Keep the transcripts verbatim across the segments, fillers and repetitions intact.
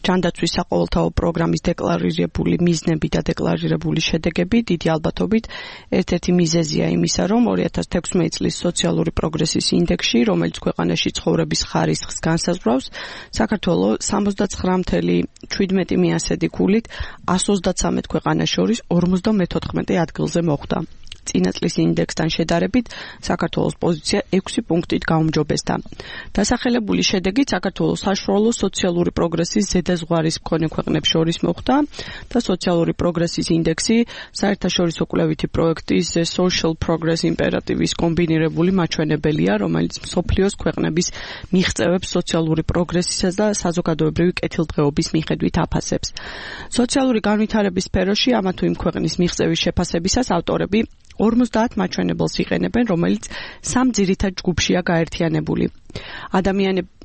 ჯანდაცვის საყოველთაო პროგრამის დეკლარირებული მიზნები და დეკლარირებული შედეგები დიდი ალბათობით ერთ-ერთი მიზეზია იმისა, რომ ორი ათას თექვსმეტი წლის სოციალური პროგრესის ინდექსში, რომელიც ქვეყანაში ცხოვრების ხარისხს განსაზღვრავს, საქართველოს სამოცდაცხრა virgulă შვიდმეტი ქულით ას ოცდათსამეტ ქვეყანას შორის ორმოცდამეთოთხმეტე ადგილზე მოხვდა. წინა წლის ინდექსთან შედარებით საქართველოს პოზიცია ექვსი პუნქტით გაუმჯობესდა. დასახელებული შედეგით საქართველოს საშუალო სოციალური პროგრესის ზედაზღვარის მქონე ქვეყნებს შორის მოხვდა და სოციალური პროგრესის ინდექსი საერთაშორისო კვლევითი პროექტის The Social Progress იმპერატივის კომბინირებული მაჩვენებელია, რომელიც მსოფლიოს ქვეყნების მიღწევებს სოციალური პროგრესისა და საზოგადოებრივი კეთილდღეობის მიხედვით აფასებს. სოციალური განვითარების სფეროში ამა თუ იმ ქვეყნის მიღწევის შეფასებისას ავტორები ორმოცდაათ მაჩვენებელს იყენებენ, რომელიც სამ ძირითად ჯგუფშია გაერთიანებული.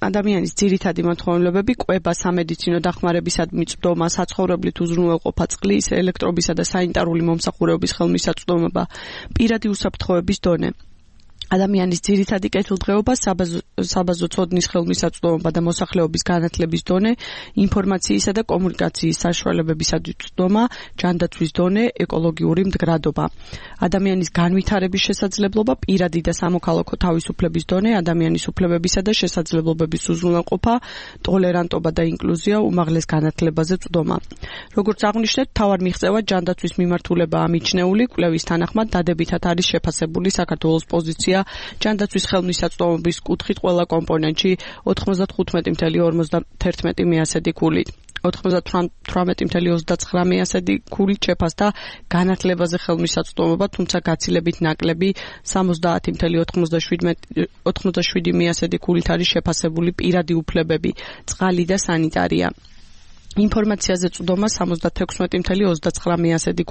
ადამიანის ძირითადი მოთხოვნილებები კვება, სამედიცინო დახმარებისადმი წვდომა, საცხოვრებლით უზრუნველყოფა, წყლის, ელექტრობისა და სანიტარული მომსახურების ხელმისაწვდომობა, პირადი უსაფრთხოების დონე. ადამიანის ძირითადი კეთილდღეობა, საბაზო ცოდნის ხელმისაწვდომობა და მოსახლეობის განათლების დონე, ინფორმაციისა და კომუნიკაციის საშუალებებისადმი წვდომა, ჯანდაცვის დონე, ეკოლოგიური მდგრადობა. ადამიანის განვითარების შესაძლებლობა, პირადი და სამოქალაქო თავისუფლების დონე, ადამიანის უფლებებისა და შესაძლებლობების უზრუნველყოფა, ტოლერანტობა და ინკლუზია, უმაღლეს განათლებაზე წვდომა. როგორც აღვნიშნეთ, მთავარ მიღწევად ჯანდაცვის მიმართულებაა მიჩნეული, კვლევის თანახმად დადებითად არის შეფასებული საქართველოს პოზიცია ჯანდაცვის ხელმისაწვდომობის კუთხით ყველა კომპონენტში ოთხმოცდახუთმეტი virgulă ორმოცდაათერთმეტი ქულით. ოთხმოცდათვრამეტი virgulă ოცდაცხრა ქულით შეფასდა განათლებაზე ხელმისაწვდომობა, თუმცა გაცილებით ნაკლები სამოცდაათი virgulă ოცდაშვიდი ქულით არის შეფასებული პირადი უფლებები, წყალი და სანიტარია. ინფორმაციაზე წვდომა სამოცდათექვსმეტი virgulă ოცდაცხრა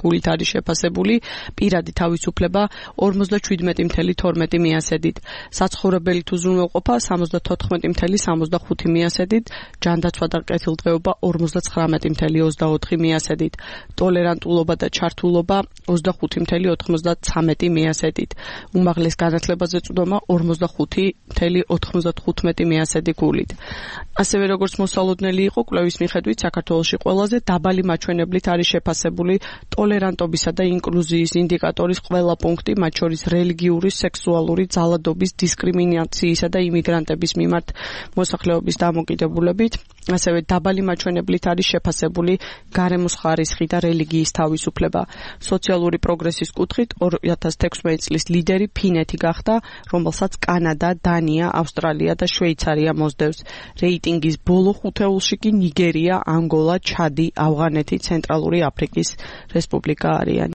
ქულით არის შეფასებული, პირადი თავისუფლება ორმოცდაშვიდმეტი virgulă თორმეტი საცხოვრებელით უზრუნველყოფა სამოცდათოთხმეტი virgulă სამოცდახუთი ჯანდაცვა და კეთილდღეობა ორმოცდაცხრამეტი virgulă ოცდაოთხი ტოლერანტულობა და ჩართულობა ოცდახუთი virgulă ოთხმოცდაცამეტი უმაღლეს განათლებაზე წვდომა ორმოცდახუთი virgulă ოთხმოცდათხუთმეტი ქულით. ასევე როგორც მოსალოდნელი იყო, კვლევის მიხედვით საქართველოში ყველაზე დაბალი მაჩვენებლით არის შეფასებული ტოლერანტობისა და ინკლუზიის ინდიკატორის ყველა პუნქტი, მათ შორის რელიგიური, სექსუალური ძალადობის, დისკრიმინაციისა და იმიგრანტების მიმართ მოსახლეობის დამოკიდებულებით. ასევე დაბალი მაჩვენებლით არის შეფასებული გარემოს ხარისხი და რელიგიის თავისუფლება. სოციალური პროგრესის კუთხით ორი ათას თექვსმეტი წლის ლიდერი ფინეთი გახდა, რომელსაც კანადა, დანია, ავსტრალია და შვეიცარია მოსდევს. რეიტინგის ბოლო ხუთეულში კი ნიგერია, ანგოლა, ჩადი, ავღანეთი, ცენტრალური აფრიკის რესპუბლიკა არიან.